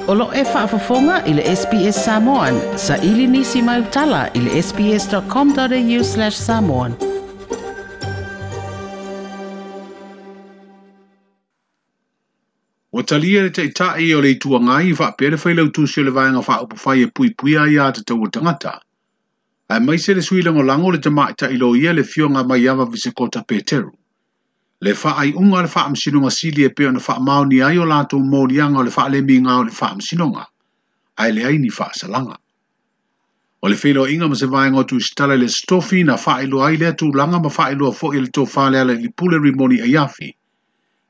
O lo o e faafofoga i le SBS Samoan, saili nisi mau tala i le sbs.com.au/samoan. Ua talia le Taitai o le Itu Agai faapea le Failautusi o le Vaega Faaupufai e Puipuia Aia Tatau a Tagata, aemaise le Sui Lagolago le Tamaitai Loia le Afioga Maiava Visekota Peteru. Le faaiuga a le Faamasinoga Sili e pei ona faamaonia ai o latou moliaga o le faalemiga o le Faamasinoga, ae leai ni faasalaga. O le feiloaiga ma se vaega o Tusitala i le Aso Tofi na faailoa ai lea tulaga ma faailoa foi e le Tofa Lealailepule Rimoni Aiafi.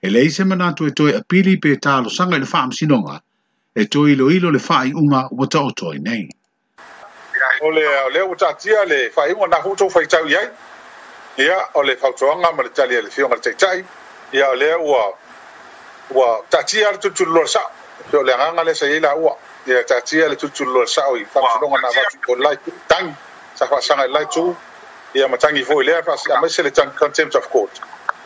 E leai se manatu e toe apili pe talosaga i le Faamasinoga e toe iloilo le faaiuga ua taoto ai nei. O le lea ua taatia le faaiuga na foi tou faitau i ai. Ia, o le fautuaga ma le tali a le Afioga i le Taitai, ia o lea ua ua taatia le tulituliloa le sao. E pei o le agaga lea sa i ai laua. Ia taatia le tulituliloa le sao i faamasinoga na avatu i le la itu, tagi sa faasaga i le la itu, ia ma tagi foi i lea aemaise le contempt of court.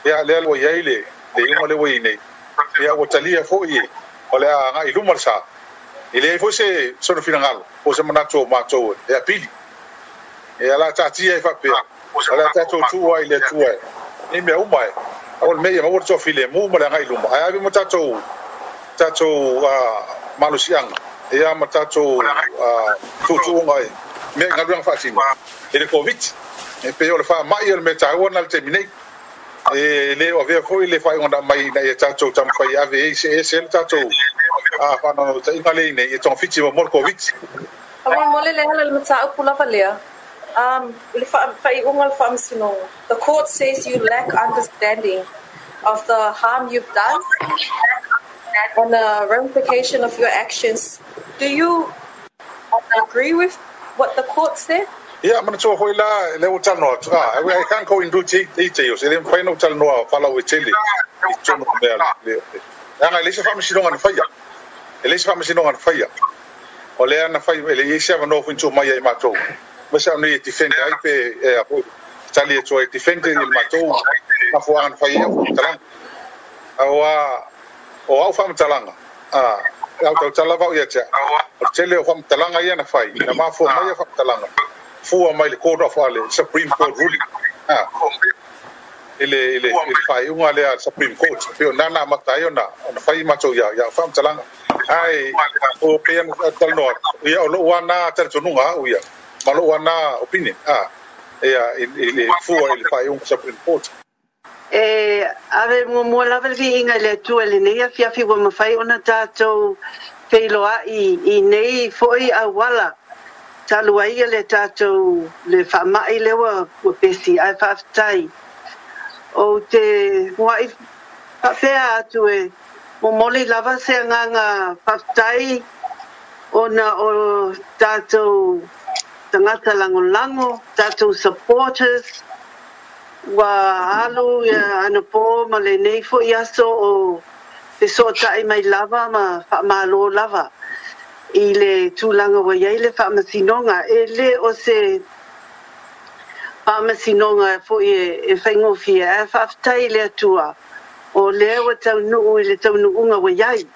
Ia lea ua i ai le iuga lea ua i ai nei. Ia ua talia foi o le a agai i luma le sa. E leai foi se sona finagalo po o se manatu o matou e apili. Ia la taatia ai faapea, o le a tatou tuu ai i le Atua nei mea uma e aua le mea ia maua le toafilemu ma le agai i luma, ae ave ma tatou tatou malosiaga ia ma tatou tuutuuga i mea i galuega faatino i le Koviti. E pei o le faamai o le mea taua lena i le taimi nei. E le o avea foi le faaiuga na aumai ina ia tatou taumafai e ave ai se ese le tatou faanaunautaiga lea i nei e togafiti muamua le Koviti. Faamolemole le ala i le mataupu lava lea, i le faaiuga o le Faamasinoga. The court says you lack understanding of the harm you've done and the ramification of your actions. Do you agree with what the court said? Ia, manatua foi la, lea ua talanoa atu, I can't go into details, e le mafai ona ou talanoa faalauaitele i totonu o mea, leaga e leai se faamasinoga na faia, e leai se faamasinoga na faia. O lea na fai, e leai se avanoa foi na tuu mai ia i matou, aemaise au nei e defend ai pe e a foi, tali atu ai e defend i le matou mafuaaga na fai ai au faamatalaga. Aua o au faamatalaga, a, au tautala lava au ia te au, o le tele o faamatalaga ia na fai, na mafua mai ia faamatalaga, fua mai le Court of le Supreme Court ruling, a, i le, i le, i le faaiuga lea a le Supreme Court, e pei o lena na amata ai ona, ona fai matou ia, ia faamatalaga. Ae, o pei ona talanoa atu, ia o lou lava na talitonuga au ia, ma lou lava na opinion, a, ia, i le fua i le faaiuga Supreme Court. E ave muamua lava le viiga i le Atua i lenei afiafi ua mafai ona tatou feiloai i nei foi auala talu ai le tatou le faamai lea ua pesi, ae faafetai. Ou te muai faapea atu e momoli lava se agaga faafetai ona o tatou tagata lagolago, tatou supporters, ua alu ia anapo ma lenei foi aso o fesootai mai lava ma faamalo lava i le tulaga ua i ai le faamasinoga. E le o se faamasinoga foi e faigofie, ae faafetai i le Atua o lea ua taunuu i le taunuuga ua i ai.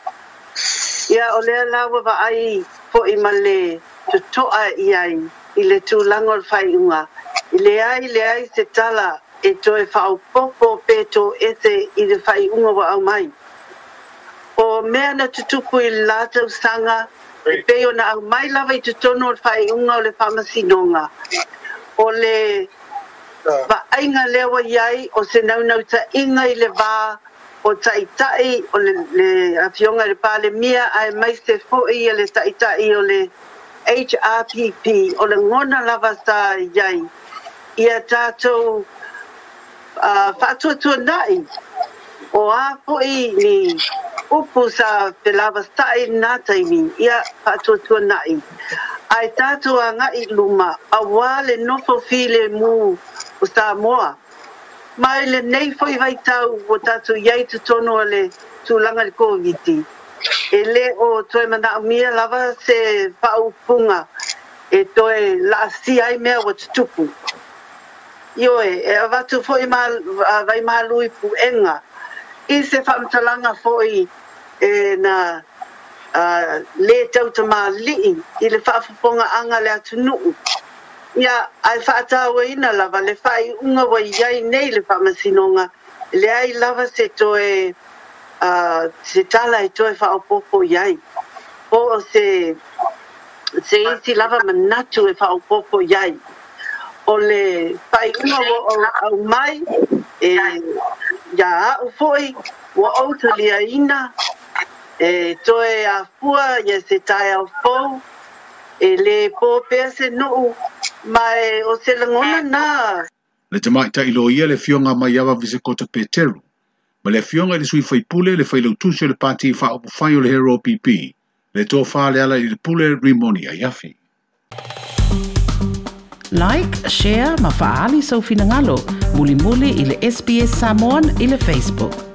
Ia o lea la ua vaai foi ma le totoa i ai i le tulaga o le faaiuga, e leai leai se tala e toe faaopoopo pe toese i le faaiuga ua aumai. O mea na tutupu i le la tausaga, e pei ona aumai lava i totonu o le faaiuga o le faamasinoga, o le vaaiga lea ua i ai o se naunautaiga i le va o Taitai o le, le Afioga i le Palemia aemaise foi le Taitai o le HRPP, o lagona lava sa i ai ia tatou faatuatuanai o a foi ni upu sa felavasai i lena taimi, ia faatuatuanai ae tatou agai i luma aua le nofo filemu o Samoa. Ma i lenei foi vaitau ua tatou i ai i totonu o le tulaga i le Koviti, e le o toe manaomia lava se faaupuga e toe laasia ai mea ua tutupu. Ioe, e avatu foi vaimalu i puega i se faamatalaga foi e na Lē tautamāli'i i le faafofogaaga a le atunuu, ia ae faatauaina lava le faaiuga ua i ai nei le Faamasinoga, e leai lava se toe se tala e toe faaopoopo i ai, po o se se isi lava manatu e faaopoopo i ai. O le faaiuga ua aumai e ia a'u foi ua ou taliaina e toe afua ia se taeao fou e lē po pea se nuu ma e o se lagona na. Le tamaitai loia le Afioga Maiava Visekota Peteru, ma le Afioga i le Sui Faipule le Failautusi o le Pati Faaupufai o le Hero PP, le Tofa Lealailepule Rimoni Aiafi. Like, share ma faaali sou finagalo. Mulimuli i le SBS Samoan i le Facebook.